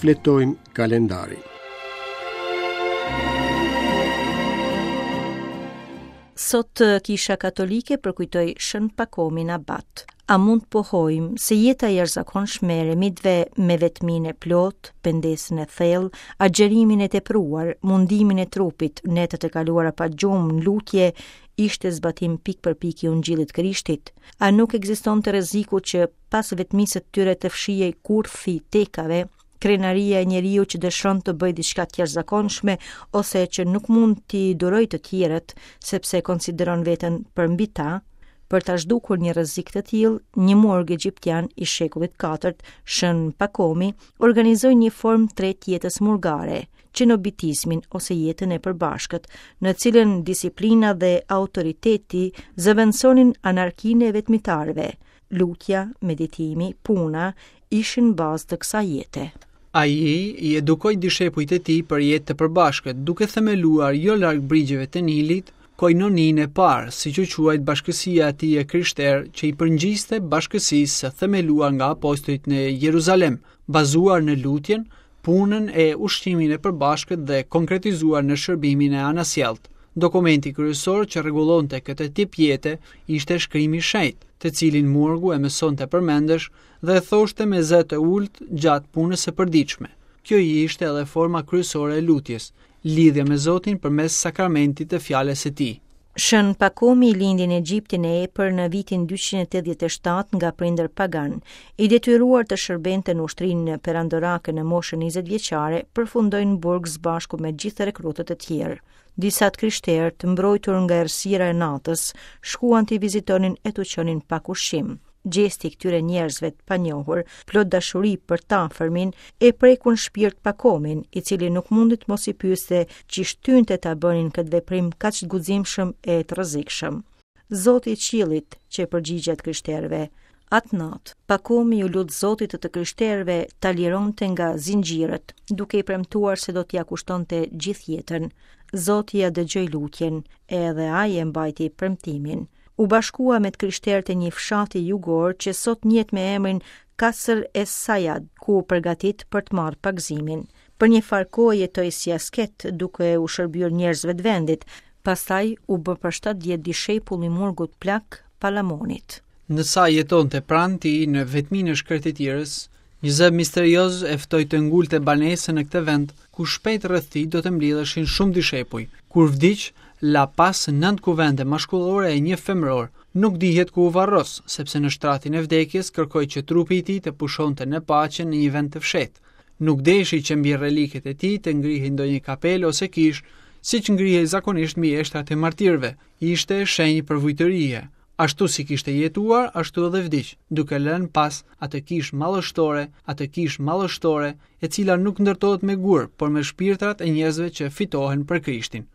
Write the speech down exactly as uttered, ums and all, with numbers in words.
Shfletojmë kalendarin. Sot Kisha Katolike përkujtoi Shën Pakomin Abat. A mund të pohojmë se jeta e jashtëzakonshme e eremitëve me vetminë e plotë, pendesën e thellë, agjerimin e tepruar, mundimin e trupit, netët e kaluara pa gjumë, në lutje, ishte zbatim pikë për pikë i Ungjillit Krishtit? A nuk ekzistonte rreziku që pas vetmisë së tyre të fshihej kurthi i tekave, krenaria e njeriu që dëshiron të bëjë diçka të jashtëzakonshme ose që nuk mund t'i durojë të tjerët sepse konsideron veten përmbi ta? Për ta zhdukur një rrezik të tillë, një murg egjiptian i shekullit katërt, Shën Pakomi, organizoi një formë të tretë jetës murgare, qenobitizmin ose jetën e përbashkët, në cilën disiplina dhe autoriteti zëvendësonin anarkinë e vetmitarëve. Lutja, meditimi, puna ishin bazë të kësaj jete. Ai i edukoi dishepujt e tij për jetë të përbashkët, duke themeluar jo larg brigjeve të Nilit, koinoninë e parë, siç u quajt bashkësia e tij e krishterë, që i përngjiste bashkësisë së themeluar nga apostujt në Jeruzalem, bazuar në lutjen, punën e ushqimin e përbashkët dhe konkretizuar në shërbimin e anasjelltë. Dokumenti kryesor që rregullonte këtë tip jete ishte shkrimi i shenjtë, të cilin murgu e mësonte përmendësh dhe e thoshte me zë të ulët gjatë punës së përditshme. Kjo ishte edhe forma kryesore e lutjes, lidhja me Zotin përmes sakramentit të fjalës së tij. Shën Pakomi lindi në Egjiptin e Epër në vitin dyqind e tetëdhjetë e shtatë nga prindër pagan. I detyruar të shërbente në ushtrinë perandorake në moshën njëzet vjeçare, përfundoi në burg së bashku me gjithë rekrutët e tjerë. Disa të krishterë, të mbrojtur nga errësira e natës, shkuan t'i vizitonin e t'u çonin pak ushqim. Gjesti i këtyre njerëzve të panjohur, plot dashuri për të afërmin, e prekun shpirt Pakomin, i cili nuk mundi të mos i pyeste që shtynte ta bënin këtë veprim kaq të guximshëm e të rrezikshëm. Zoti i qiellit, që e përgjigjet krishterëve. Atë natë, Pakomi u lut Zotit të të krishterëve ta lironte nga zinxhirët, duke i premtuar se do t'ia kushtonte gjithë jetën. Zoti ia dëgjoi lutjen, edhe ai e mbajti premtimin. U bashkua me të krishterët e një fshati jugor që sot njihet me emrin Kasr e Sajad, ku u përgatit për të marrë pagëzimin. Për një farë kohë jetoi si asket, duke u shërbyer njerëzve të vendit, pastaj u bë për shtatë vjet dishepull i murgut plak Palamonit. Ndërsa jetonte pranë tij në vetminë e shkretëtirës, një zë misterioz e ftoi të ngulte banesën në këtë vend, ku shpejt rreth tij do të mblidheshin shumë dishepuj. Kur vdiq, la pas nëntë kuvende mashkullore e një femëror. Nuk dihet ku u varros, sepse në shtratin e vdekjes kërkoi që trupi i tij të pushonte në paqe në një vend të fshehtë. Nuk deshi që mbi reliket e tij të ngrihej ndonjë kapel ose kishë, siç ngrihej zakonisht mbi eshtrat e martirëve. Ishte shenjë përvujtërie. Ashtu si kishte jetuar, ashtu edhe vdiq, duke lënë pas atë kishë madhështore, atë kishë madhështore, e cila nuk ndërtohet me gur, por me shpirtrat e njerëzve që fitohen për Krishtin.